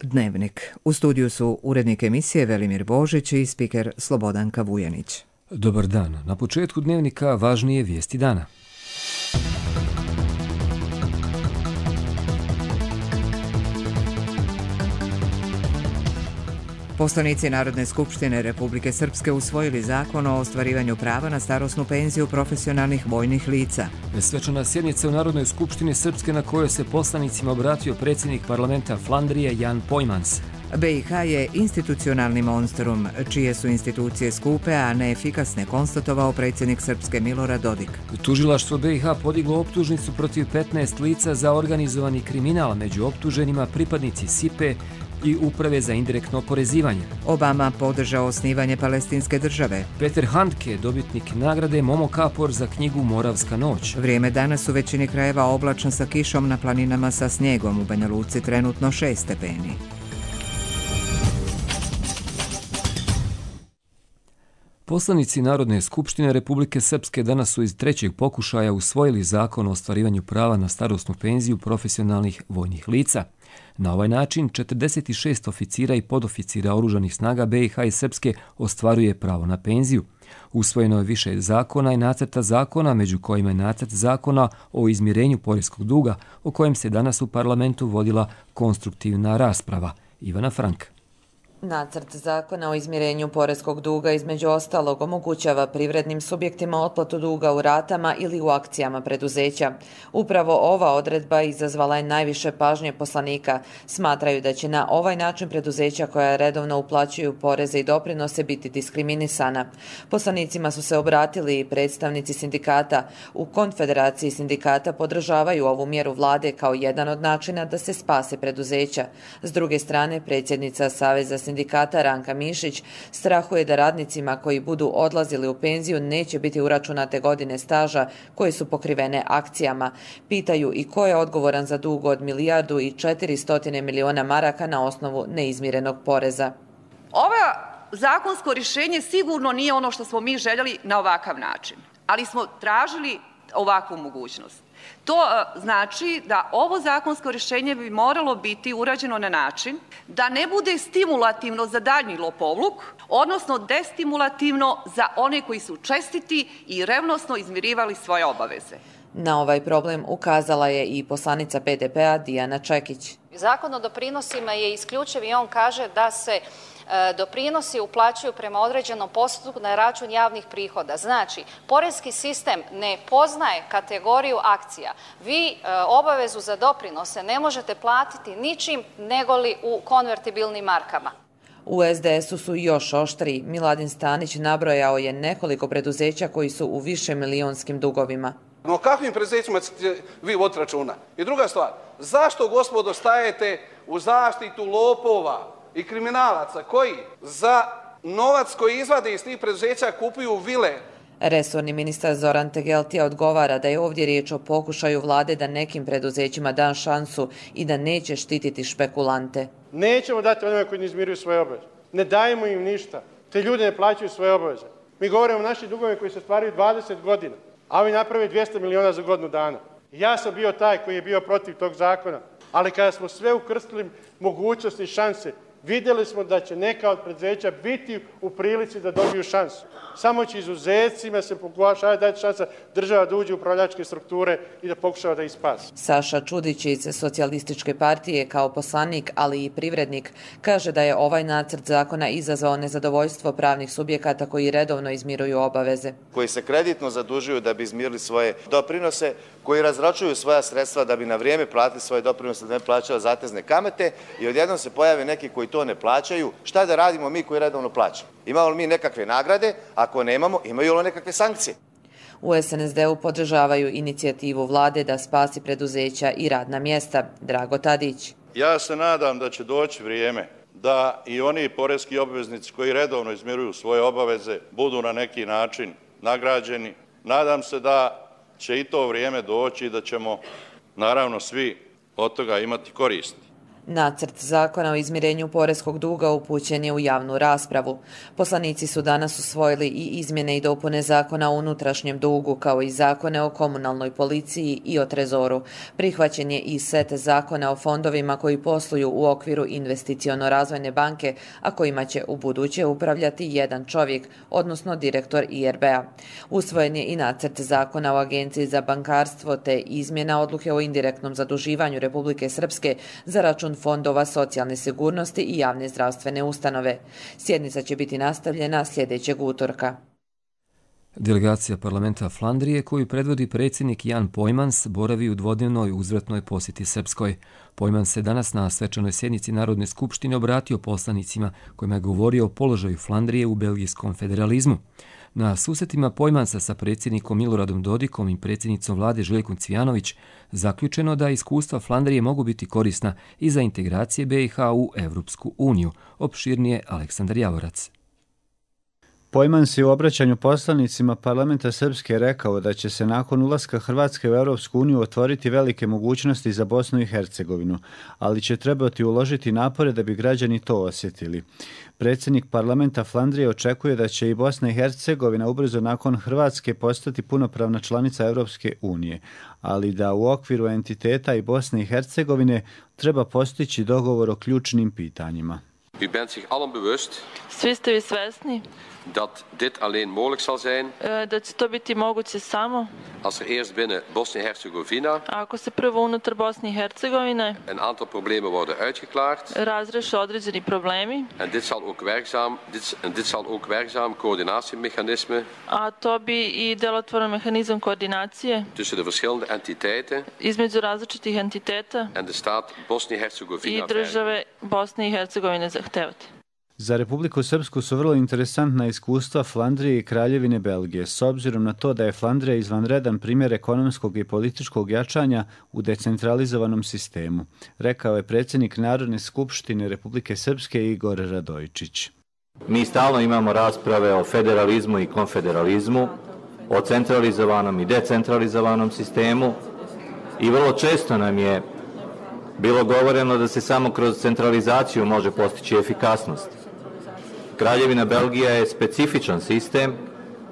Dnevnik. U studiju su urednik emisije Velimir Božić i spiker Slobodanka Vujanić. Dobar dan. Na početku Dnevnika važnije vijesti dana. Poslanici Narodne skupštine Republike Srpske usvojili zakon o ostvarivanju prava na starosnu penziju profesionalnih vojnih lica. Svečana sjednica u Narodnoj skupštini Srpske na kojoj se poslanicima obratio predsjednik parlamenta Flandrije Jan Pojmans. BiH je institucionalni monstrum, čije su institucije skupe, a neefikasne, konstatovao predsjednik Srpske Milorad Dodik. Tužilaštvo BiH podiglo optužnicu protiv 15 lica za organizovani kriminal, među optuženima pripadnici SIPE i Uprave za indirektno oporezivanje. Obama podržao osnivanje palestinske države. Peter Handke, dobitnik nagrade Momo Kapor za knjigu Moravska noć. Vrijeme danas u većini krajeva oblačno sa kišom, na planinama sa snijegom, u Banja Luci trenutno 6 stepeni. Poslanici Narodne skupštine Republike Srpske danas su iz trećeg pokušaja usvojili zakon o ostvarivanju prava na starosnu penziju profesionalnih vojnih lica. Na ovaj način 46 oficira i podoficira oružanih snaga BiH i Srpske ostvaruje pravo na penziju. Usvojeno je više zakona i nacrta zakona, među kojima je nacrt zakona o izmirenju poreskog duga, o kojem se danas u parlamentu vodila konstruktivna rasprava. Ivana Frank. Nacrt zakona o izmirenju poreskog duga između ostalog omogućava privrednim subjektima otplatu duga u ratama ili u akcijama preduzeća. Upravo ova odredba izazvala je najviše pažnje poslanika. Smatraju da će na ovaj način preduzeća koja redovno uplaćuju poreze i doprinose biti diskriminisana. Poslanicima su se obratili i predstavnici sindikata. U Konfederaciji sindikata podržavaju ovu mjeru vlade kao jedan od načina da se spase preduzeća. S druge strane, predsjednica Saveza sindikata Ranka Mišić strahuje da radnicima koji budu odlazili u penziju neće biti uračunate godine staža koje su pokrivene akcijama. Pitaju i ko je odgovoran za dug od 1,4 milijarde maraka na osnovu neizmirenog poreza. Ovo zakonsko rješenje sigurno nije ono što smo mi željeli na ovakav način, ali smo tražili ovakvu mogućnost. To znači da ovo zakonsko rješenje bi moralo biti urađeno na način da ne bude stimulativno za daljnji lopovluk, odnosno destimulativno za one koji su čestiti i revnosno izmirivali svoje obaveze. Na ovaj problem ukazala je i poslanica PDP-a Dijana Čekić. Zakon o doprinosima je isključiv i on kaže da se doprinosi uplaćuju prema određenom postupku na račun javnih prihoda. Znači, poreski sistem ne poznaje kategoriju akcija. Vi obavezu za doprinose ne možete platiti ničim negoli u konvertibilnim markama. U SDS-u su još oštriji. Miladin Stanić nabrojao je nekoliko preduzeća koji su u višemilijonskim dugovima. No kakvim preduzećima ćete vi voditi računa? I druga stvar, zašto, gospodo, stajete u zaštitu lopova i kriminalaca koji za novac koji izvade iz tih preduzeća kupuju vile? Resorni ministar Zoran Tegeltija odgovara da je ovdje riječ o pokušaju vlade da nekim preduzećima da šansu i da neće štititi špekulante. Nećemo dati onima koji ne izmiruju svoje obaveze. Ne dajemo im ništa. Te ljudi ne plaćaju svoje obaveze. Mi govorimo o našim dugovima koji se stvaraju 20 godina, a ovi naprave 200 miliona za godinu dana. Ja sam bio taj koji je bio protiv tog zakona, ali kada smo sve ukrstili mogućnosti i šanse, vidjeli smo da će neka od preduzeća biti u prilici da dobiju šansu. Samo će izuzecima se pokušava dati šansa država da uđe u upravljačke strukture i da pokušava da ih spasi. Saša Čudić iz Socijalističke partije kao poslanik, ali i privrednik, kaže da je ovaj nacrt zakona izazvao nezadovoljstvo pravnih subjekata koji redovno izmiruju obaveze. Koji se kreditno zadužuju da bi izmirili svoje doprinose, koji razračuju svoja sredstva da bi na vrijeme platili svoje doprinose, da ne plaćaju zatezne kamate i odjednom se pojave neki koji to ne plaćaju. Šta da radimo mi koji redovno plaćamo? Imamo li mi nekakve nagrade? Ako nemamo, imaju li nekakve sankcije? U SNSD-u podržavaju inicijativu vlade da spasi preduzeća i radna mjesta. Drago Tadić. Ja se nadam da će doći vrijeme da i oni poreski obveznici koji redovno izmiruju svoje obaveze budu na neki način nagrađeni. Nadam se da će i to vrijeme doći i da ćemo naravno svi od toga imati koristi. Nacrt zakona o izmirenju poreskog duga upućen je u javnu raspravu. Poslanici su danas usvojili i izmjene i dopune zakona o unutrašnjem dugu, kao i zakone o komunalnoj policiji i o trezoru. Prihvaćen je i set zakona o fondovima koji posluju u okviru investiciono-razvojne banke, a kojima će u buduće upravljati jedan čovjek, odnosno direktor IRB-a. Usvojen je i nacrt zakona o Agenciji za bankarstvo te izmjena odluke o indirektnom zaduživanju Republike Srpske za račun fondova socijalne sigurnosti i javne zdravstvene ustanove. Sjednica će biti nastavljena sljedećeg utorka. Delegacija parlamenta Flandrije, koju predvodi predsjednik Jan Pojmans, boravi u dvodnevnoj uzvratnoj posjeti Srpskoj. Pojmans se danas na svečanoj sjednici Narodne skupštine obratio poslanicima kojima je govorio o položaju Flandrije u belgijskom federalizmu. Na susretima Pojmansa sa predsjednikom Miloradom Dodikom i predsjednicom vlade Željkom Cvijanović zaključeno da iskustva Flandrije mogu biti korisna i za integracije BiH u Evropsku uniju. Opširnije Aleksandar Javorac. Pojmans je u obraćanju poslanicima parlamenta Srpske rekao da će se nakon ulaska Hrvatske u Europsku uniju otvoriti velike mogućnosti za Bosnu i Hercegovinu, ali će trebati uložiti napore da bi građani to osjetili. Predsjednik parlamenta Flandrije očekuje da će i Bosna i Hercegovina ubrzo nakon Hrvatske postati punopravna članica Europske unije, ali da u okviru entiteta i Bosne i Hercegovine treba postići dogovor o ključnim pitanjima. U bent sich allen bewust. Svi ste vi svesni dat dit alleen mogelijk zal zijn. Da će to biti moguće samo als er eerst binnen Bosnië en Herzegovina ako se prvo unutar Bosne i Hercegovine een aantal problemen worden uitgeklaard. Razreše određeni problemi. En dit zal ook werkzaam coördinatiemechanisme. A to bi i delotvoran mehanizam koordinacije tussen de verschillende entiteiten između različitih entiteta en de staat Bosnië en Herzegovina i države Bosne i Hercegovine zahtevati. Za Republiku Srpsku su vrlo interesantna iskustva Flandrije i Kraljevine Belgije, s obzirom na to da je Flandrija izvanredan primjer ekonomskog i političkog jačanja u decentralizovanom sistemu, rekao je predsjednik Narodne skupštine Republike Srpske Igor Radojčić. Mi stalno imamo rasprave o federalizmu i konfederalizmu, o centralizovanom i decentralizovanom sistemu i vrlo često nam je bilo govoreno da se samo kroz centralizaciju može postići efikasnost. Kraljevina Belgija je specifičan sistem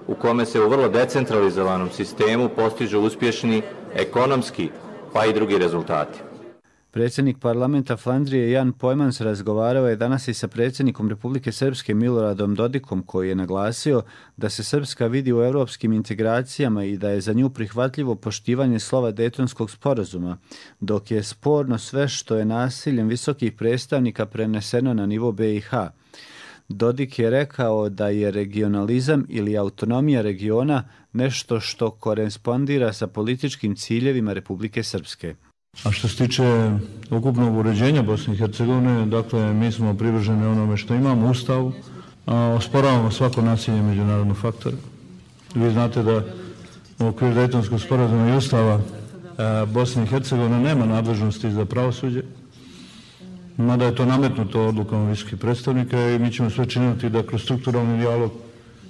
u kome se u vrlo decentralizovanom sistemu postižu uspješni ekonomski pa i drugi rezultati. Predsjednik parlamenta Flandrije Jan Pojmans razgovarao je danas i sa predsjednikom Republike Srpske Miloradom Dodikom, koji je naglasio da se Srpska vidi u europskim integracijama i da je za nju prihvatljivo poštivanje slova Dejtonskog sporazuma, dok je sporno sve što je nasiljem visokih predstavnika preneseno na nivo BiH. Dodik je rekao da je regionalizam ili autonomija regiona nešto što korespondira sa političkim ciljevima Republike Srpske. A što se tiče ukupnog uređenja Bosne i Hercegovine, dakle, mi smo privrženi onome što imamo u Ustavu, osporavamo svako nasilje međunarodnog faktora. Vi znate da u okviru Dejtonskog sporazuma i Ustava Bosne i Hercegovine nema nadležnosti za pravosuđe, mada je to nametnuto odlukom visokih predstavnika i mi ćemo sve činiti da kroz strukturalni dijalog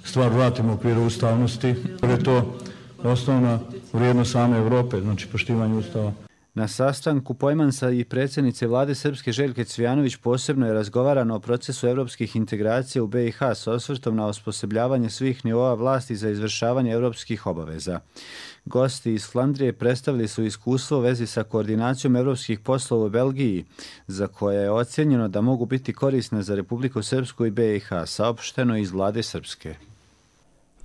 stvar vratimo u okviru ustavnosti, jer je to osnovna vrijednost same Evrope, znači poštivanje Ustava. Na sastanku Pojmansa i predsjednice vlade Srpske Željke Cvijanović posebno je razgovarano o procesu evropskih integracija u BiH s osvrtom na osposobljavanje svih nivoa vlasti za izvršavanje europskih obaveza. Gosti iz Flandrije predstavili su iskustvo u vezi sa koordinacijom europskih poslova u Belgiji, za koje je ocjenjeno da mogu biti korisne za Republiku Srpsku i BiH, saopšteno iz vlade Srpske.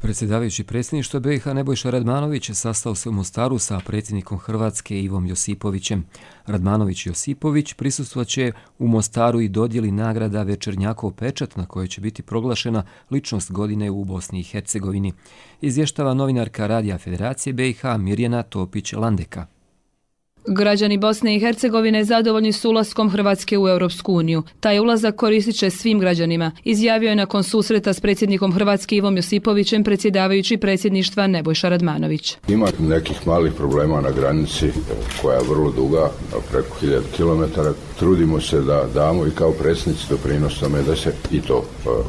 Predsjedavajući predsjedništva BiH Nebojša Radmanović sastao se u Mostaru sa predsjednikom Hrvatske Ivom Josipovićem. Radmanović i Josipović prisustvovat u Mostaru i dodjeli nagrada Večernjakov pečat na kojoj će biti proglašena ličnost godine u Bosni i Hercegovini. Izvještava novinarka Radija Federacije BiH Mirjana Topić-Landeka. Građani Bosne i Hercegovine zadovoljni su ulaskom Hrvatske u Europsku uniju. Taj ulazak koristit će svim građanima, izjavio je nakon susreta s predsjednikom Hrvatske Ivom Josipovićem predsjedavajući predsjedništva Nebojša Radmanović. Ima nekih malih problema na granici koja je vrlo duga, preko 1000 km. Trudimo se da damo i kao predsjednici doprinos tome da se i to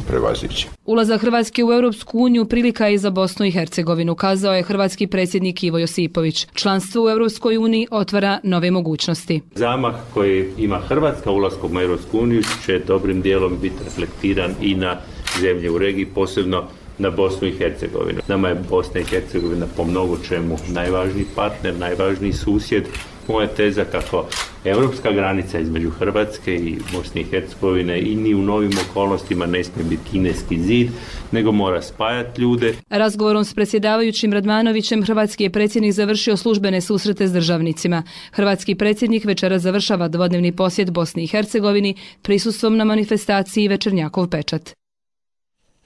prevaziđe. Ulazak Hrvatske u Europsku uniju prilika je i za Bosnu i Hercegovinu, kazao je hrvatski predsjednik Ivo Josipović. Članstvo u Europskoj uniji otvara nove mogućnosti. Zamah koji ima Hrvatska ulaskom u Europsku uniju će dobrim dijelom biti reflektiran i na zemlje u regiji, posebno na Bosnu i Hercegovinu. Nama je Bosna i Hercegovina po mnogo čemu najvažniji partner, najvažniji susjed. Moja teza kako europska granica između Hrvatske i Bosne i Hercegovine i ni u novim okolnostima ne smije biti kineski zid, nego mora spajati ljude. Razgovorom s predsjedavajućim Radmanovićem hrvatski je predsjednik završio službene susrete s državnicima. Hrvatski predsjednik večeras završava dvodnevni posjet Bosni i Hercegovini prisustvom na manifestaciji Večernjakov pečat.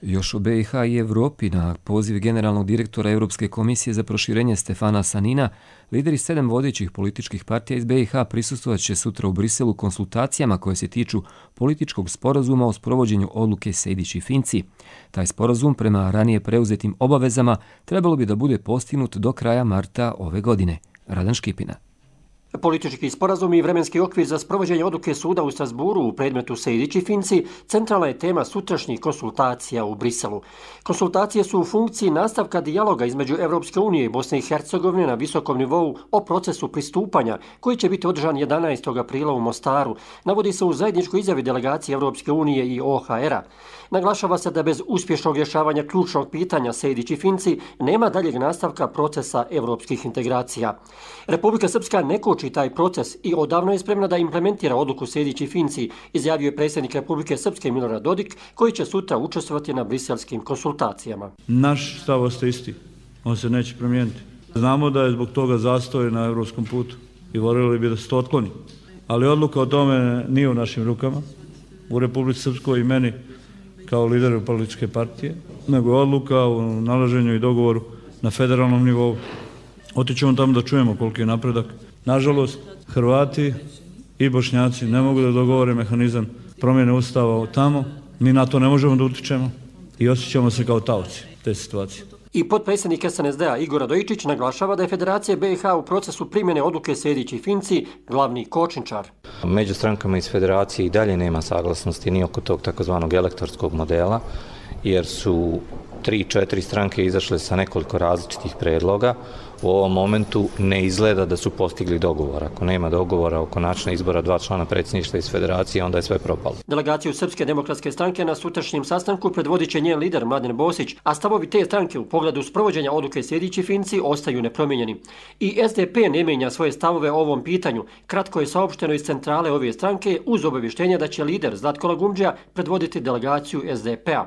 Još o BiH i Evropi na poziv generalnog direktora Europske komisije za proširenje Stefana Sanina, lideri 7 vodećih političkih partija iz BiH prisustvovat će sutra u Briselu konsultacijama koje se tiču političkog sporazuma o sprovođenju odluke Sejdić i Finci. Taj sporazum prema ranije preuzetim obavezama trebalo bi da bude postignut do kraja marta ove godine. Radan Škipina. Politički sporazum i vremenski okvir za sprovođenje odluke suda u Strasburu u predmetu Sejdić i Finci centralna je tema sutrašnjih konsultacija u Briselu. Konsultacije su u funkciji nastavka dijaloga između Europske unije i Bosne i Hercegovine na visokom nivou o procesu pristupanja koji će biti održan 11. aprila u Mostaru. Navodi se u zajedničkoj izjavi delegacije Europske unije i OHR-a. Naglašava se da bez uspješnog rješavanja ključnog pitanja Sejdić i Finci nema daljeg nastavka procesa europskih integracija. Republika Srpska ne koči taj proces i odavno je spremna da implementira odluku Sejdić i Finci, izjavio je predsjednik Republike Srpske Milorad Dodik, koji će sutra učestvovati na briselskim konsultacijama. Naš stav ostaje isti, on se neće promijeniti. Znamo da je zbog toga zastoj na europskom putu i voljeli bi da se to otkloni. Ali odluka o tome nije u našim rukama, u Republici Srpskoj i meni kao lideru političke partije, nego je odluka o nalaženju i dogovoru na federalnom nivou. Otićemo tamo da čujemo koliki je napredak. Nažalost, Hrvati i Bošnjaci ne mogu da dogovore mehanizam promjene ustava tamo. Mi na to ne možemo da utičemo i osjećamo se kao taoci te situacije. I potpredsjednik SNSD-a Igor Radojičić naglašava da je Federacija BiH u procesu primjene odluke Sejdić i Finci glavni kočničar. Među strankama iz Federacije i dalje nema saglasnosti ni oko tog takozvanog elektorskog modela, jer su 3-4 stranke izašle sa nekoliko različitih predloga. U ovom momentu ne izgleda da su postigli dogovor. Ako nema dogovora oko načina izbora 2 člana predsjedništva iz Federacije, onda je sve propalo. Delegaciju Srpske demokratske stranke na sutrašnjem sastanku predvodit će njen lider Mladen Bosić, a stavovi te stranke u pogledu sprovođenja odluke Sejdić i Finci ostaju nepromijenjeni. I SDP ne mijenja svoje stavove o ovom pitanju. Kratko je saopšteno iz centrale ove stranke uz obavještenja da će lider Zlatko Lagumdžija predvoditi delegaciju SDP-a.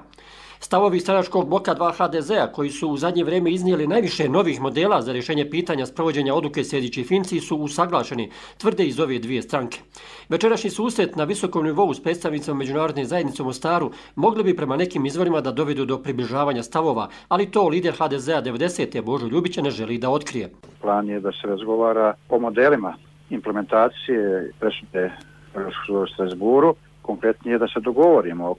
Stavovi stranačkog bloka 2 HDZ-a, koji su u zadnje vrijeme iznijeli najviše novih modela za rješenje pitanja sprovođenja odluke Sejdić i Finci, su usaglašeni, tvrde iz ove dvije stranke. Večerašnji susret na visokom nivou s predstavnicama međunarodne zajednice u Mostaru mogli bi prema nekim izvorima da dovedu do približavanja stavova, ali to lider HDZ-a 90. Božo Ljubić ne želi da otkrije. Plan je da se razgovara o modelima implementacije presude u Strasburu. Konkretnije da se dogovorimo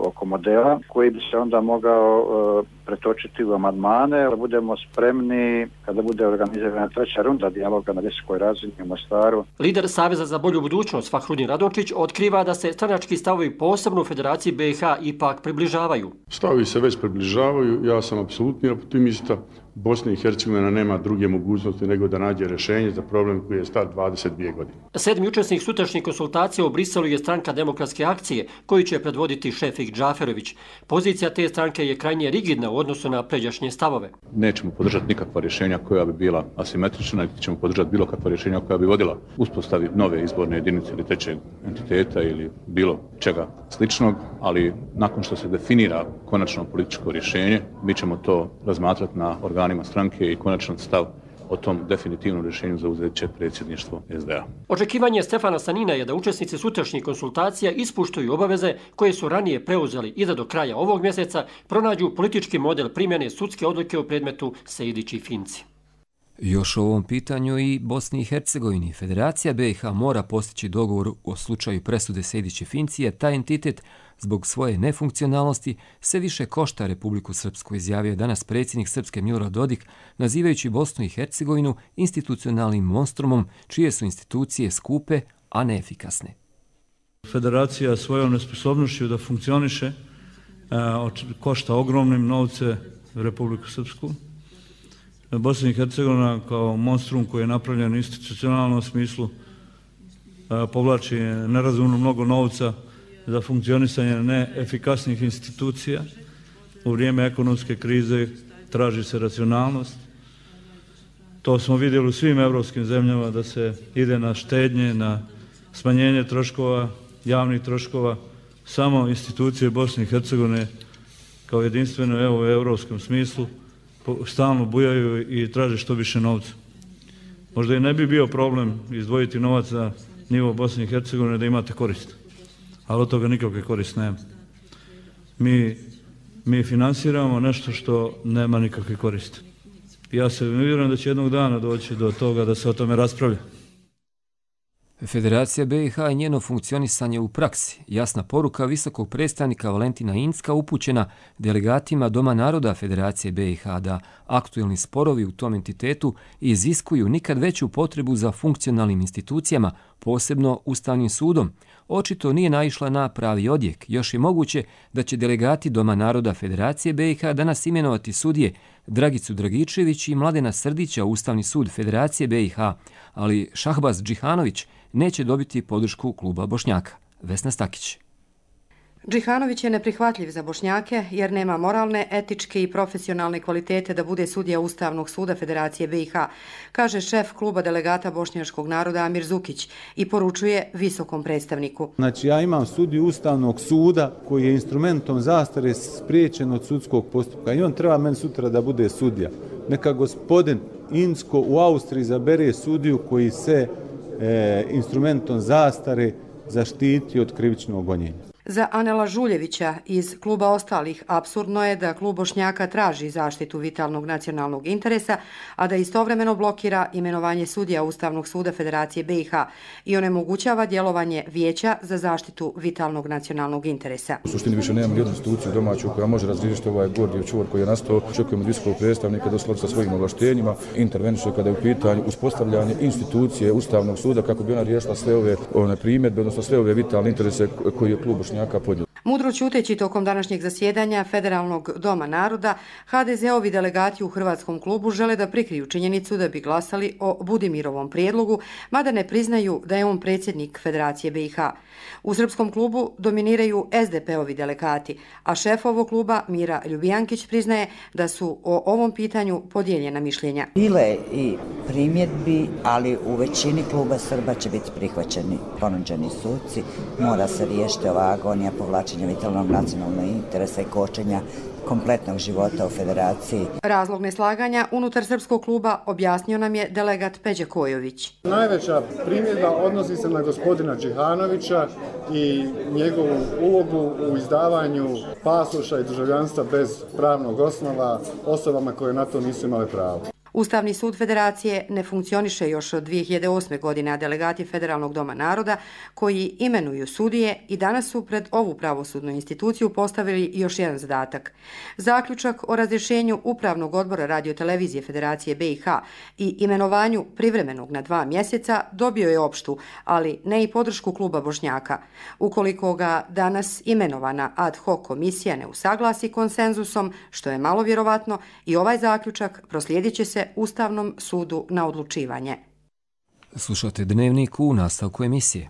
oko modela koji bi se onda mogao pretočiti u amandmane, da budemo spremni kada bude organizirana 3. runda dijaloga na visokoj razini u Mostaru. Lider Saveza za bolju budućnost Fahrudin Radončić otkriva da se stranački stavovi posebno u Federaciji BiH ipak približavaju. Stavovi se već približavaju, ja sam apsolutni optimista. Bosna i Hercegovina nema druge mogućnosti nego da nađe rješenje za problem koji je star 22 godine. 7. učesnik sutrašnjih konsultacija u Briselu je stranka Demokratske akcije, koju će predvoditi Šefik Džaferović. Pozicija te stranke je krajnje rigidna u odnosu na pređašnje stavove. Nećemo podržati nikakva rješenja koja bi bila asimetrična, niti ćemo podržati bilo kakva rješenja koja bi vodila uspostavi nove izborne jedinice ili trećeg entiteta ili bilo čega sličnog, ali nakon što se definira konačno političko rješenje, mi ćemo to razmatrati na organima stranke i konačan stav o tom definitivnom rješenju zauzet će predsjedništvo SDA. Očekivanje Stefana Sanina je da učesnici sutrašnjih konsultacija ispuštuju obaveze koje su ranije preuzeli i da do kraja ovog mjeseca pronađu politički model primjene sudske odluke u predmetu Sejdić i Finci. Još o ovom pitanju i Bosni i Hercegovini. Federacija BiH mora postići dogovor o slučaju presude Sejdić i Finci, a taj entitet zbog svoje nefunkcionalnosti sve više košta Republiku Srpsku, izjavio je danas predsjednik Srpske Milorad Dodik, nazivajući Bosnu i Hercegovinu institucionalnim monstrumom čije su institucije skupe, a neefikasne. Federacija svojom nesposobnošću da funkcioniše košta ogromnim novce Republiku Srpsku. Bosna i Hercegovina kao monstrum koji je napravljen u institucionalnom smislu povlači nerazumno mnogo novca za funkcionisanje neefikasnih institucija. U vrijeme ekonomske krize traži se racionalnost. To smo vidjeli u svim evropskim zemljama da se ide na štednje, na smanjenje troškova, javnih troškova. Samo institucije Bosne i Hercegovine kao jedinstveno u evropskom smislu stalno bujaju i traže što više novca. Možda i ne bi bio problem izdvojiti novac za nivo Bosne i Hercegovine da imate korist, ali od toga nikakve korist nema. Mi finansiramo nešto što nema nikakve koriste. Ja se vjerujem da će jednog dana doći do toga da se o tome raspravlja. Federacija BiH i njeno funkcionisanje u praksi. Jasna poruka visokog predstavnika Valentina Incka upućena delegatima Doma naroda Federacije BiH da aktuelni sporovi u tom entitetu iziskuju nikad veću potrebu za funkcionalnim institucijama, posebno Ustavnim sudom. Očito nije naišla na pravi odjek. Još je moguće da će delegati Doma naroda Federacije BiH danas imenovati sudije Dragicu Dragičević i Mladena Srdića u Ustavni sud Federacije BiH, ali Šahbaz Džihanović neće dobiti podršku kluba Bošnjaka. Vesna Stakić. Džihanović je neprihvatljiv za Bošnjake jer nema moralne, etičke i profesionalne kvalitete da bude sudija Ustavnog suda Federacije BiH, kaže šef kluba delegata bošnjačkog naroda Amir Zukić i poručuje visokom predstavniku. Znači ja imam sudiju Ustavnog suda koji je instrumentom zastare spriječen od sudskog postupka i on treba meni sutra da bude sudija. Neka gospodin Incko u Austriji zabere sudiju koji se instrumentom zastare zaštiti od krivičnog gonjenja. Za Anela Žuljevića iz kluba ostalih apsurdno je da klub Bošnjaka traži zaštitu vitalnog nacionalnog interesa, a da istovremeno blokira imenovanje sudija Ustavnog suda Federacije BiH i onemogućava djelovanje Vijeća za zaštitu vitalnog nacionalnog interesa. U suštini više nemamo jednu instituciju domaću koja može razriješiti ovaj gordijev čvor koji je nastao. Očekujemo od visokog predstavnika da uskladi sa svojim ovlaštenjima interveniše kada je u pitanju uspostavljanje institucije Ustavnog suda kako bi ona riješila sve ove primjedbe, odnosno sve ove vitalne interese koje je klub Bošnjaka. Mudro ćuteći tokom današnjeg zasjedanja Federalnog doma naroda, HDZ-ovi delegati u Hrvatskom klubu žele da prikriju činjenicu da bi glasali o Budimirovom prijedlogu, mada ne priznaju da je on predsjednik Federacije BiH. U Srpskom klubu dominiraju SDP-ovi delegati, a šef ovog kluba Mira Ljubijankić priznaje da su o ovom pitanju podijeljena mišljenja. Bile i primjedbi, ali u većini kluba Srba će biti prihvaćeni ponuđeni suci. Mora se riješiti ova agonija povlačenja vitalnog nacionalnog interesa i kočenja kompletnog života u Federaciji. Razlog neslaganja unutar Srpskog kluba objasnio nam je delegat Peđa Kojović. Najveća primjedba odnosi se na gospodina Džihanovića i njegovu ulogu u izdavanju pasoša i državljanstva bez pravnog osnova osobama koje na to nisu imale pravo. Ustavni sud Federacije ne funkcioniše još od 2008. godine, a delegati Federalnog doma naroda koji imenuju sudije i danas su pred ovu pravosudnu instituciju postavili još jedan zadatak. Zaključak o razrješenju Upravnog odbora radiotelevizije Federacije BiH i imenovanju privremenog na 2 mjeseca dobio je opštu, ali ne i podršku kluba Bošnjaka. Ukoliko ga danas imenovana ad hoc komisija ne usaglasi konsenzusom, što je malo vjerovatno, i ovaj zaključak proslijedit će se Ustavnom sudu na odlučivanje. Slušate Dnevnik u nastavku emisije.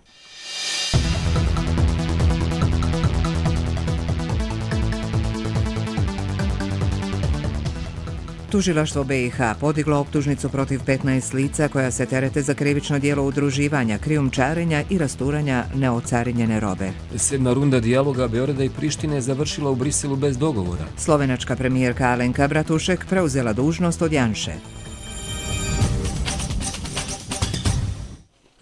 Tužilaštvo BiH podiglo optužnicu protiv 15 lica koja se terete za krivično djelo udruživanja, krijumčarenja i rasturanja neocarinjene robe. 7. runda dijaloga Beograda i Prištine završila u Briselu bez dogovora. Slovenačka premijerka Alenka Bratušek preuzela dužnost od Janše.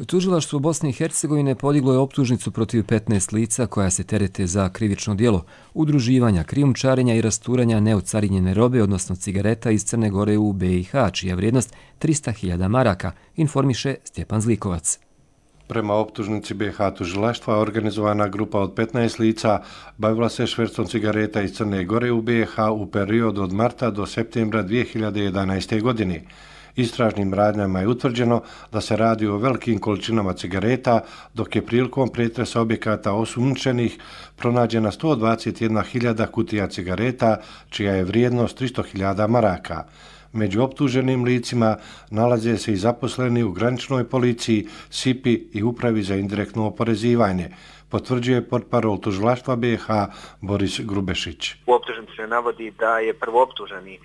Tužilaštvo Bosne i Hercegovine podiglo je optužnicu protiv 15 lica koja se terete za krivično djelo udruživanja, krijumčarenja i rasturanja neocarinjene robe, odnosno cigareta iz Crne Gore u BiH, čija vrijednost 300.000 maraka, informiše Stjepan Zlikovac. Prema optužnici BiH tužilaštva, organizovana grupa od 15 lica bavila se švercom cigareta iz Crne Gore u BiH u periodu od marta do septembra 2011. godine. Istražnim radnjama je utvrđeno da se radi o velikim količinama cigareta, dok je prilikom pretresa objekata osumnjičenih pronađena 121.000 kutija cigareta, čija je vrijednost 300.000 maraka. Među optuženim licima nalaze se i zaposleni u graničnoj policiji, SIPI i Upravi za indirektno oporezivanje, potvrđuje portparol tužilaštva BiH Boris Grubešić. U optužnici se navodi da je prvooptuženi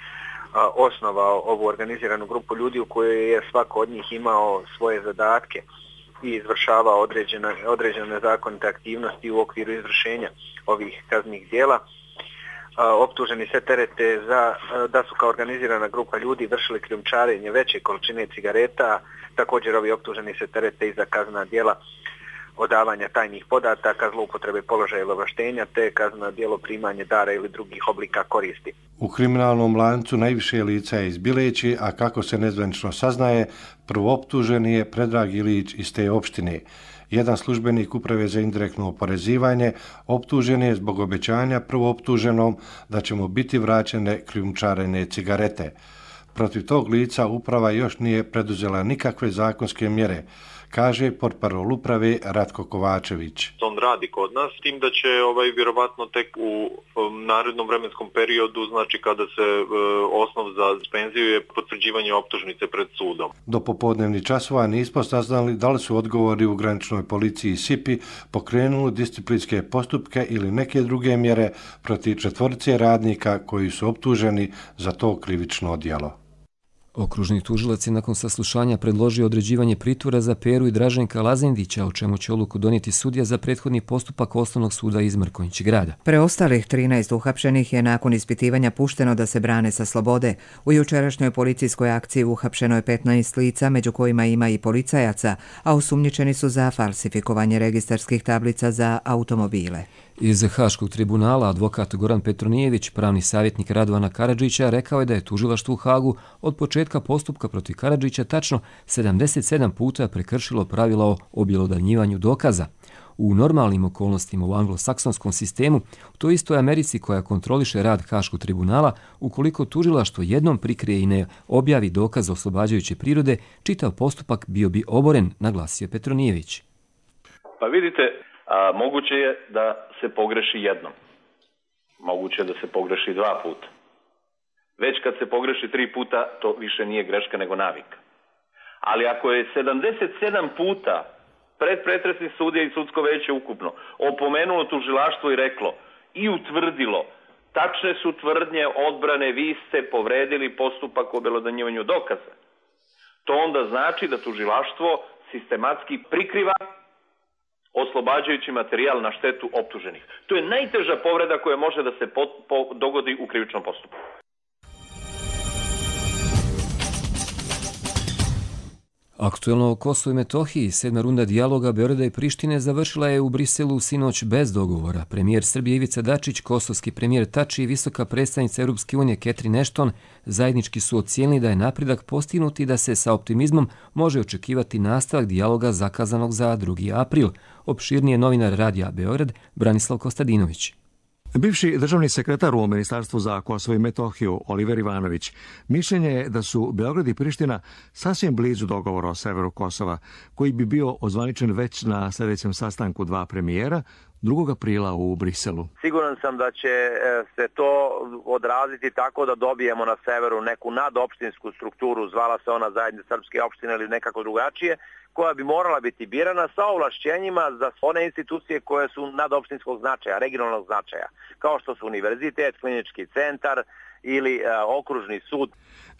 osnovao ovu organiziranu grupu ljudi u kojoj je svako od njih imao svoje zadatke i izvršavao određene nezakonite aktivnosti u okviru izvršenja ovih kaznenih djela. Optuženi se terete da su kao organizirana grupa ljudi vršili krijumčarenje veće količine cigareta. Također ovi optuženi se terete i za kaznena djela odavanja tajnih podataka, zloupotrebe položaja ili ovlaštenja, te kazneno djelo primanje dara ili drugih oblika koristi. U kriminalnom lancu najviše lica je iz Bileći, a kako se nezvanično saznaje, prvooptuženi je Predrag Ilić iz te opštine. Jedan službenik Uprave za indirektno oporezivanje optužen je zbog obećanja prvooptuženom da će mu biti vraćene krijumčarene cigarete. Protiv tog lica uprava još nije preduzela nikakve zakonske mjere, kaže portparol uprave Ratko Kovačević. On radi kod nas, tim da će vjerovatno tek u narednom vremenskom periodu, znači kada se osnov za suspenziju je potvrđivanje optužnice pred sudom. Do popodnevnih časova nismo saznali da li su odgovori u graničnoj policiji SIPI pokrenuli disciplinske postupke ili neke druge mjere protiv 4 radnika koji su optuženi za to krivično djelo. Okružni tužilac je nakon saslušanja predložio određivanje pritvora za Peru i Draženka Lazendića, o čemu će odluku donijeti sudija za prethodni postupak Osnovnog suda iz Mrkonjić Grada. Preostalih 13 uhapšenih je nakon ispitivanja pušteno da se brane sa slobode. U jučerašnjoj policijskoj akciji uhapšeno je 15 lica, među kojima ima i policajaca, a osumnjičeni su za falsifikovanje registarskih tablica za automobile. Iz Haškog tribunala advokat Goran Petronijević, pravni savjetnik Radovana Karadžića, rekao je da je tužilaštvo u Hagu od početka postupka protiv Karadžića tačno 77 puta prekršilo pravila o objelodanjivanju dokaza. U normalnim okolnostima u anglosaksonskom sistemu, u toj istoj Americi koja kontroliše rad Haškog tribunala, ukoliko tužilaštvo jednom prikrije i ne objavi dokaz oslobađajuće prirode, čitav postupak bio bi oboren, naglasio Petronijević. Pa vidite, moguće je da se pogreši jednom. Moguće je da se pogreši 2 puta. Već kad se pogreši 3 puta, to više nije greška nego navika. Ali ako je 77 puta predpretresni sudija i sudsko veće ukupno opomenulo tužilaštvo i reklo i utvrdilo tačne su tvrdnje odbrane, vi ste povredili postupak o obelodanjivanju dokaza, to onda znači da tužilaštvo sistematski prikriva oslobađajući materijal na štetu optuženih. To je najteža povreda koja može da se dogodi u krivičnom postupku. Aktuelno o Kosovu i Metohiji, 7. runda dijaloga Beograda i Prištine završila je u Briselu sinoć bez dogovora. Premijer Srbije Ivica Dačić, kosovski premijer Tači i visoka predstavnica Europske unije Catherine Ashton zajednički su ocijenili da je napredak postignut i da se sa optimizmom može očekivati nastavak dijaloga zakazanog za 2. april. Opširnije novinar Radija Beograd Branislav Kostadinović. Bivši državni sekretar u Ministarstvu za Kosovo i Metohiju, Oliver Ivanović, mišljenje je da su Beograd i Priština sasvim blizu dogovora o severu Kosova, koji bi bio ozvaničen već na sljedećem sastanku 2 premijera 2. aprila u Briselu. Siguran sam da će se to odraziti tako da dobijemo na severu neku nadopštinsku strukturu, zvala se ona zajednica srpske opštine ili nekako drugačije, koja bi morala biti birana sa ovlašćenjima za one institucije koje su nadopštinskog značaja, regionalnog značaja, kao što su univerzitet, klinički centar ili okružni sud.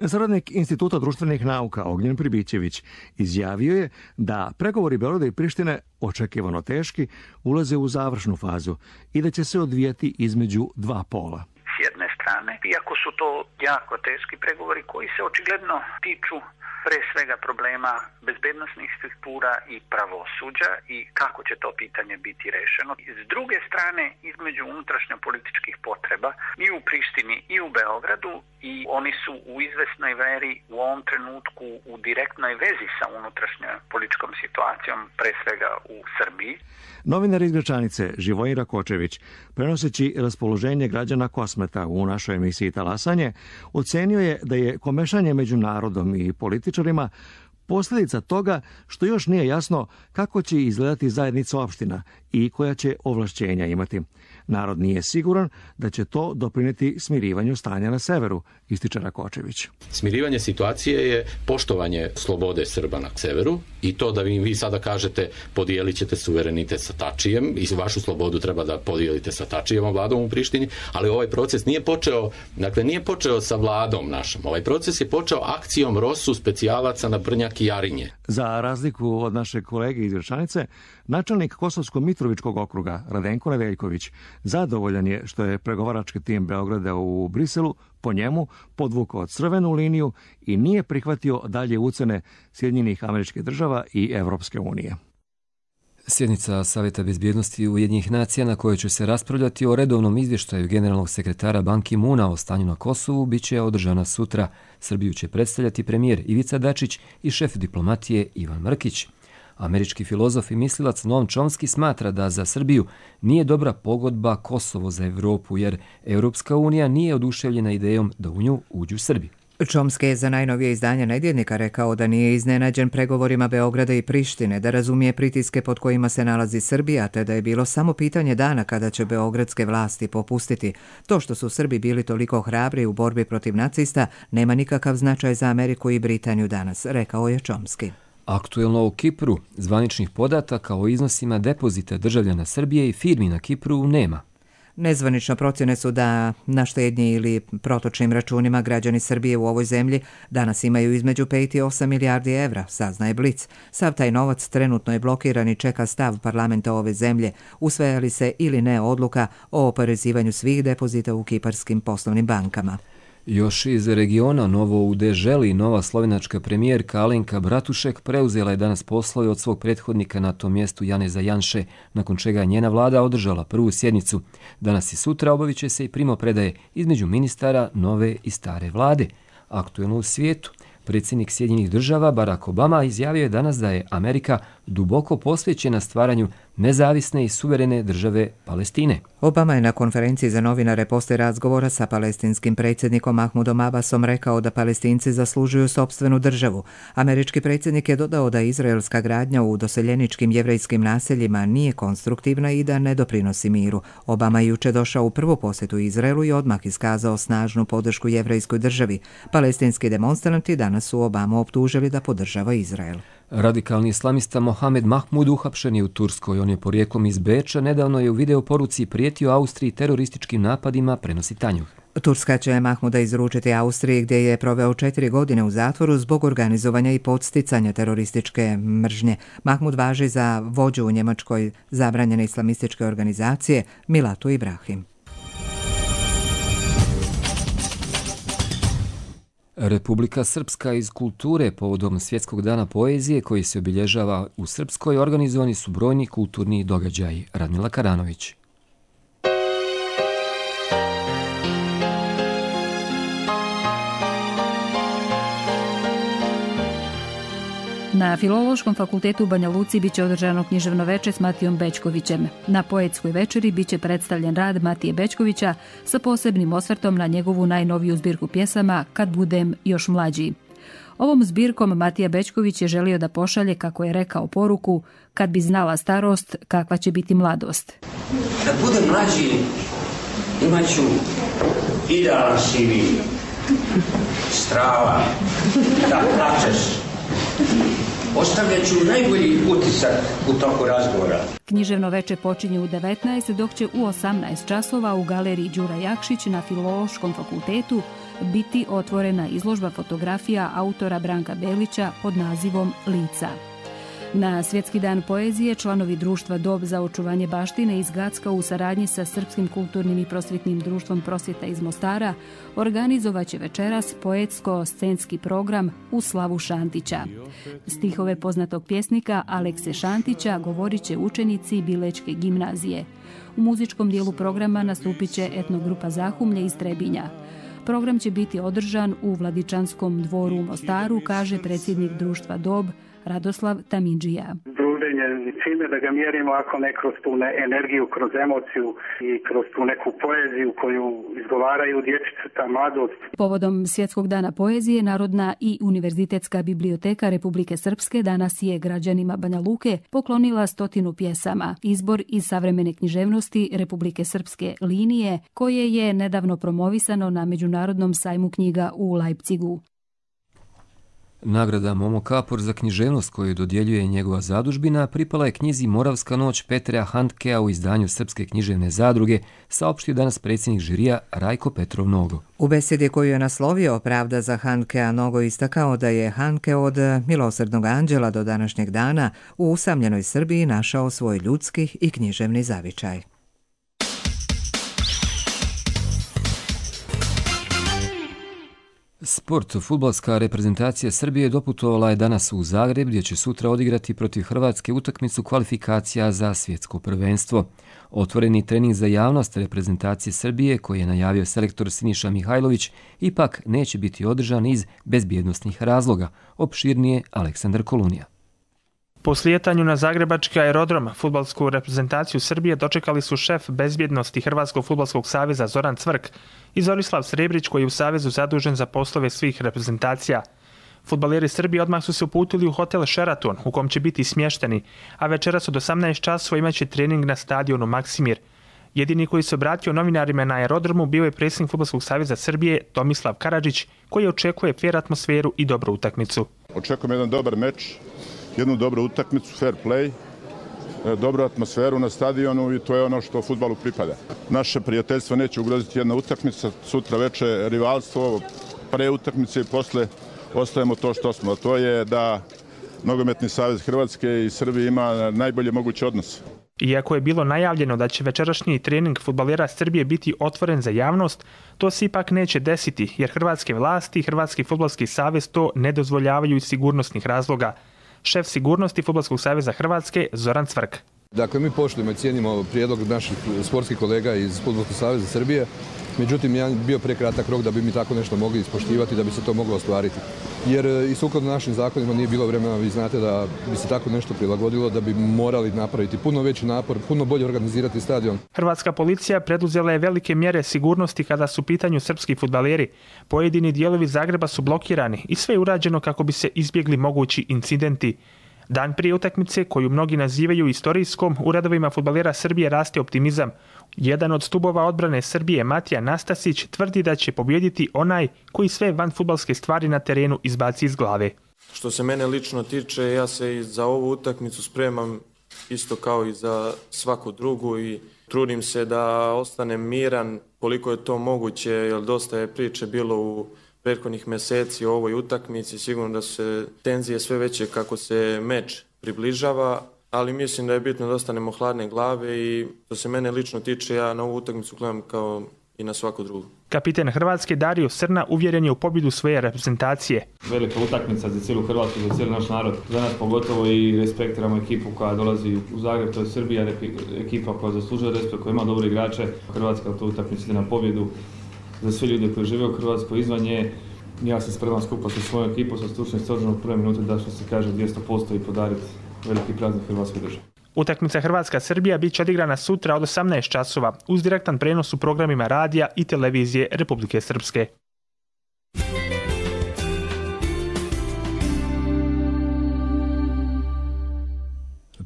Saradnik Instituta društvenih nauka Ognjen Pribićević izjavio je da pregovori Beograda i Prištine, očekivano teški, ulaze u završnu fazu i da će se odvijati između 2 pola. S jedne strane, iako su to jako teški pregovori koji se očigledno tiču pre svega problema bezbednosnih struktura i pravosuđa i kako će to pitanje biti rešeno. S druge strane, između unutrašnjopolitičkih potreba i u Prištini i u Beogradu i oni su u izvesnoj veri u ovom trenutku u direktnoj vezi sa unutrašnjom političkom situacijom, pre svega u Srbiji. Novinar iz Gračanice Živojin Rakočević, prenoseći raspoloženje građana Kosmeta u našoj emisiji Talasanje, ocenio je da je komešanje među narodom i političarima posljedica toga što još nije jasno kako će izgledati zajednica opština i koja će ovlašćenja imati. Narod nije siguran da će to doprinijeti smirivanju stanja na severu, ističe Rakočević. Smirivanje situacije je poštovanje slobode Srba na severu i to da vi sada kažete podijelit ćete suverenitet sa Tačijem i vašu slobodu treba da podijelite sa Tačijevom vladom u Prištini, ali ovaj proces nije počeo sa vladom našom. Ovaj proces je počeo akcijom ROSU specijalaca na Brnjak i Jarinje. Za razliku od našeg kolege iz Gračanice, načelnik Kosovsko-Mitrovičkog okruga Radenko Nedeljković zadovoljan je što je pregovarački tim Beograda u Briselu po njemu podvukao crvenu liniju i nije prihvatio dalje ucene Sjedinjenih Američkih Država i Evropske unije. Sjednica Savjeta bezbjednosti Ujedinjenih nacija na kojoj će se raspravljati o redovnom izvještaju generalnog sekretara Ban Ki-moona o stanju na Kosovu biće održana sutra. Srbiju će predstavljati premijer Ivica Dačić i šef diplomatije Ivan Mrkić. Američki filozof i mislilac Noam Chomsky smatra da za Srbiju nije dobra pogodba Kosovo za Evropu, jer Europska unija nije oduševljena idejom da u nju uđu Srbi. Chomsky je za najnovije izdanje Nedjeljnika rekao da nije iznenađen pregovorima Beograda i Prištine, da razumije pritiske pod kojima se nalazi Srbija, te da je bilo samo pitanje dana kada će beogradske vlasti popustiti. To što su Srbi bili toliko hrabri u borbi protiv nacista nema nikakav značaj za Ameriku i Britaniju danas, rekao je Chomsky. Aktuelno u Kipru zvaničnih podataka o iznosima depozita državljana Srbije i firmi na Kipru nema. Nezvanično procjene su da na štednji ili protočnim računima građani Srbije u ovoj zemlji danas imaju između 5 i 8 milijardi evra, saznaje Blic. Sav taj novac trenutno je blokiran i čeka stav parlamenta ove zemlje, usvaja li se ili ne odluka o oporezivanju svih depozita u kiparskim poslovnim bankama. Još iz regiona novo u Deželi nova slovenačka premijerka Alenka Bratušek preuzela je danas poslove od svog prethodnika na tom mjestu Janeza Janše, nakon čega je njena vlada održala prvu sjednicu. Danas i sutra obavit će se i primopredaje između ministara nove i stare vlade. Aktuelno u svijetu, predsjednik Sjedinjenih Država Barack Obama izjavio je danas da je Amerika duboko posvećena stvaranju nezavisne i suverene države Palestine. Obama je na konferenciji za novinare poslije razgovora sa palestinskim predsjednikom Mahmudom Abbasom rekao da Palestinci zaslužuju sopstvenu državu. Američki predsjednik je dodao da izraelska gradnja u doseljeničkim jevrejskim naseljima nije konstruktivna i da ne doprinosi miru. Obama je juče došao u prvu posjetu Izraelu i odmah iskazao snažnu podršku jevrejskoj državi. Palestinski demonstranti danas su Obamu optužili da podržava Izrael. Radikalni islamista Mohamed Mahmud uhapšen je u Turskoj. On je porijeklom iz Beča, nedavno je u videoporuci prijetio Austriji terorističkim napadima, prenosi Tanjuh. Turska će Mahmuda izručiti Austriji gdje je proveo 4 godine u zatvoru zbog organizovanja i podsticanja terorističke mržnje. Mahmud važi za vođu u Njemačkoj zabranjene islamističke organizacije Milatu Ibrahim. Republika Srpska iz kulture povodom Svjetskog dana poezije koji se obilježava u Srpskoj organizovani su brojni kulturni događaji. Radmila Karanović. Na Filološkom fakultetu u Banja Luci biće održano književno veče s Matijom Bećkovićem. Na poetskoj večeri biće predstavljen rad Matije Bećkovića sa posebnim osvrtom na njegovu najnoviju zbirku pjesama Kad budem još mlađi. Ovom zbirkom Matija Bećković je želio da pošalje, kako je rekao, poruku: kad bi znala starost, kakva će biti mladost. Kad budem mlađi, imaću idealan sivi, strava, da plačeš. Ostavljat ću najbolji utisak u toku razgovora. Književno veče počinje u 19, dok će u 18 časova u galeriji Đura Jakšić na Filološkom fakultetu biti otvorena izložba fotografija autora Branka Belića pod nazivom Lica. Na Svjetski dan poezije članovi društva Dob za očuvanje baštine iz Gacka u saradnji sa Srpskim kulturnim i prosvjetnim društvom Prosvjeta iz Mostara organizovaće večeras poetsko-scenski program u slavu Šantića. Stihove poznatog pjesnika Alekse Šantića govorit će učenici Bilečke gimnazije. U muzičkom dijelu programa nastupit će etnogrupa Zahumlje iz Trebinja. Program će biti održan u Vladičanskom dvoru u Mostaru, kaže predsjednik društva DOB Radoslav Tamindžija. Druženje čime da ga mjerimo ako ne kroz tu energiju, kroz emociju i kroz tu neku poeziju koju izgovaraju dječica, mladost. Povodom Svjetskog dana poezije, Narodna i Univerzitetska biblioteka Republike Srpske danas je građanima Banja Luke poklonila 100 pjesama. Izbor iz savremene književnosti Republike Srpske linije, koje je nedavno promovisano na Međunarodnom sajmu knjiga u Leipzigu. Nagrada Momo Kapor za književnost koju dodjeljuje njegova zadužbina pripala je knjizi Moravska noć Petra Handkea u izdanju Srpske književne zadruge, saopštio danas predsjednik žirija Rajko Petrov Nogo. U besedi koju je naslovio Pravda za Handkea Nogo istakao da je Handke od milosrdnog anđela do današnjeg dana u usamljenoj Srbiji našao svoj ljudski i književni zavičaj. Sport. Fudbalska reprezentacija Srbije doputovala je danas u Zagreb, gdje će sutra odigrati protiv Hrvatske utakmicu kvalifikacija za svjetsko prvenstvo. Otvoreni trening za javnost reprezentacije Srbije, koji je najavio selektor Siniša Mihajlović, ipak neće biti održan iz bezbjednosnih razloga. Opširnije Aleksandar Kolunija. Po slijetanju na zagrebački aerodrom fudbalsku reprezentaciju Srbije dočekali su šef bezbjednosti Hrvatskog fudbalskog saveza Zoran Cvrk i Zorislav Srebrić, koji je u savezu zadužen za poslove svih reprezentacija. Fudbaleri Srbije odmah su se uputili u hotel Sheraton, u kom će biti smješteni, a večeras od 18 časova imaće trening na stadionu Maksimir. Jedini koji se obratio novinarima na aerodromu bio je predsjednik Fudbalskog saveza Srbije Tomislav Karadžić, koji očekuje fer atmosferu i dobru utakmicu. Očekujem jedan dobar meč, jednu dobru utakmicu, fair play, dobru atmosferu na stadionu i to je ono što fudbalu pripada. Naše prijateljstvo neće ugroziti jedna utakmica, sutra veče rivalstvo, pre utakmice i posle ostajemo to što smo. To je da Nogometni savez Hrvatske i Srbije ima najbolje moguće odnose. Iako je bilo najavljeno da će večerašnji trening fudbalera Srbije biti otvoren za javnost, to se ipak neće desiti, jer hrvatske vlasti i Hrvatski fudbalski savez to ne dozvoljavaju iz sigurnosnih razloga. Šef sigurnosti Fudbalskog saveza Hrvatske Zoran Cvrk. Dakle, mi poštujemo i cijenimo prijedlog naših sportskih kolega iz Fudbalskog saveza Srbije, međutim, ja bio prekratak rok da bi mi tako nešto mogli ispoštivati, da bi se to moglo ostvariti. Jer i sukladno našim zakonima nije bilo vremena, vi znate da bi se tako nešto prilagodilo, da bi morali napraviti puno veći napor, puno bolje organizirati stadion. Hrvatska policija preduzela je velike mjere sigurnosti kada su u pitanju srpski fudbaleri. Pojedini dijelovi Zagreba su blokirani i sve je urađeno kako bi se izbjegli mogući incidenti. Dan prije utakmice, koju mnogi nazivaju istorijskom, u redovima fudbalera Srbije raste optimizam. Jedan od stubova odbrane Srbije, Matija Nastasić, tvrdi da će pobijediti onaj koji sve vanfudbalske stvari na terenu izbaci iz glave. Što se mene lično tiče, ja se i za ovu utakmicu spremam isto kao i za svaku drugu i trudim se da ostanem miran koliko je to moguće, jer dosta je priče bilo u prethodnih mjeseci o ovoj utakmici. Sigurno da su se tenzije sve veće kako se meč približava, ali mislim da je bitno da ostanemo hladne glave i što se mene lično tiče, ja na ovu utakmicu gledam kao i na svaku drugu. Kapiten Hrvatske Dario Srna uvjeren je u pobjedu svoje reprezentacije. Velika utakmica za cijelu Hrvatsku, za cijeli naš narod. Za nas pogotovo i respektiramo ekipu koja dolazi u Zagreb, to je Srbija, ekipa koja zaslužuje respekt, koja ima dobre igrače. Hrvatska to utakmica ide na pobjedu. Za sve ljude koji žive u Hrvatskoj izvan nje, ja se spreman skupa sa svojom ekipom, sa stručnim stožerom od prve minute da što se kaže 200% i podariti veliki praznik Hrvatskoj državi. Utakmica Hrvatska-Srbija bit će odigrana sutra od 18 časova uz direktan prenos u programima radija i televizije Republike Srpske.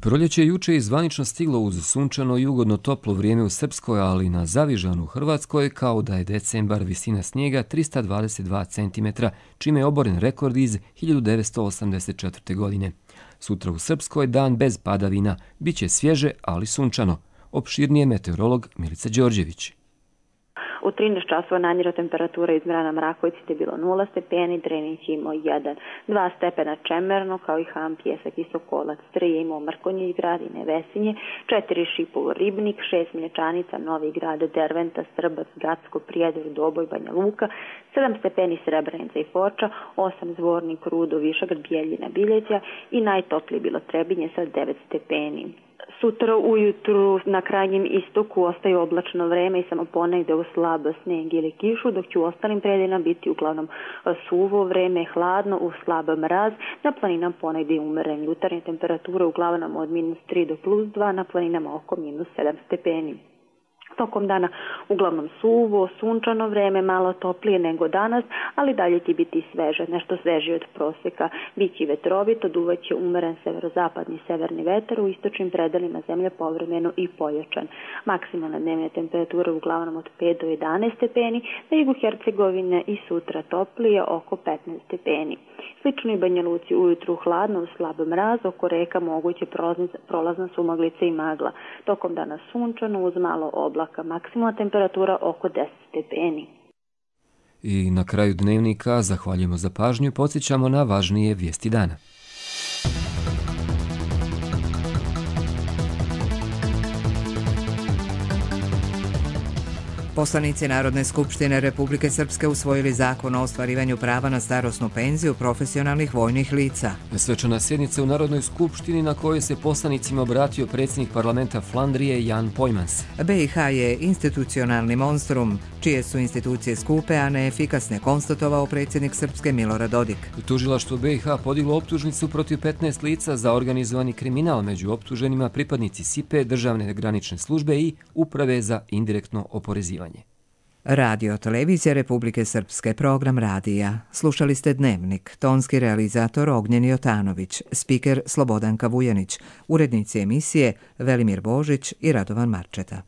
Proljeće je juče zvanično stiglo uz sunčano i ugodno toplo vrijeme u Srpskoj, ali na Zavižanu u Hrvatskoj, kao da je decembar visina snijega 322 cm, čime je oboren rekord iz 1984. godine. Sutra u Srpskoj dan bez padavina, bit će svježe, ali sunčano. Opširnije meteorolog Milica Đorđević. U 13 časova najniža temperatura izmjerena na Mrakovici je bilo 0 stepeni, Drenić je imao 1, 2 stepena Čemerno, kao i Ham, Pjesak i Sokolac, 3 je imao Mrkonjić grad i Nevesinje, 4 Šipovo Ribnik, 6 Mlječanica, Novi grad, Derventa, Srbac, Gacko, Prijedor, Doboj, Banja Luka, 7 stepeni Srebrenica i Foča, 8 Zvornik, Rudo, Višegrad, Bijeljina, Biljeća i najtoplije bilo Trebinje sa 9 stepeni. Sutra ujutru na krajnjem istoku ostaje oblačno vreme i samo ponegde u slab sneg ili kišu, dok će u ostalim predelima biti uglavnom suvo vreme, hladno, u slab mraz. Na planinama ponegde umeren. Jutarnje temperature uglavnom od -3 do +2, na planinama oko -7 stepeni. Tokom dana uglavnom suvo, sunčano vreme, malo toplije nego danas, ali dalje će biti sveže, nešto svežije od proseka. Biće vetrovito, duvaće umeren severozapadni severni vetar, u istočnim predelima zemlje povremeno i pojačan. Maksimalna dnevna temperatura uglavnom od 5 do 11 stepeni, na jugu Hercegovine i sutra toplije oko 15 stepeni. Slično i Banja Luci ujutru hladno, u slab mraz, oko reka moguće prolazna sumaglica i magla. Tokom dana sunčano uz malo oblaka, maksimalna temperatura oko 10 stepeni. I na kraju dnevnika zahvaljujemo za pažnju i podsjećamo na važnije vijesti dana. Poslanici Narodne skupštine Republike Srpske usvojili zakon o ostvarivanju prava na starosnu penziju profesionalnih vojnih lica. Svečana sjednica u Narodnoj skupštini na kojoj se poslanicima obratio predsjednik parlamenta Flandrije Jan Pojmans. BiH je institucionalni monstrum, čije su institucije skupe, a neefikasne, konstatovao predsjednik Srpske Milorad Dodik. Tužilaštvo BiH podiglo optužnicu protiv 15 lica za organizovani kriminal, među optuženima pripadnici SIPE, Državne granične službe i Uprave za indirektno oporezivanje. Radio televizija Republike Srpske, program radija. Slušali ste Dnevnik, tonski realizator Ognjen Jotanović, spiker Slobodanka Vujanić, urednici emisije Velimir Božić i Radovan Marčeta.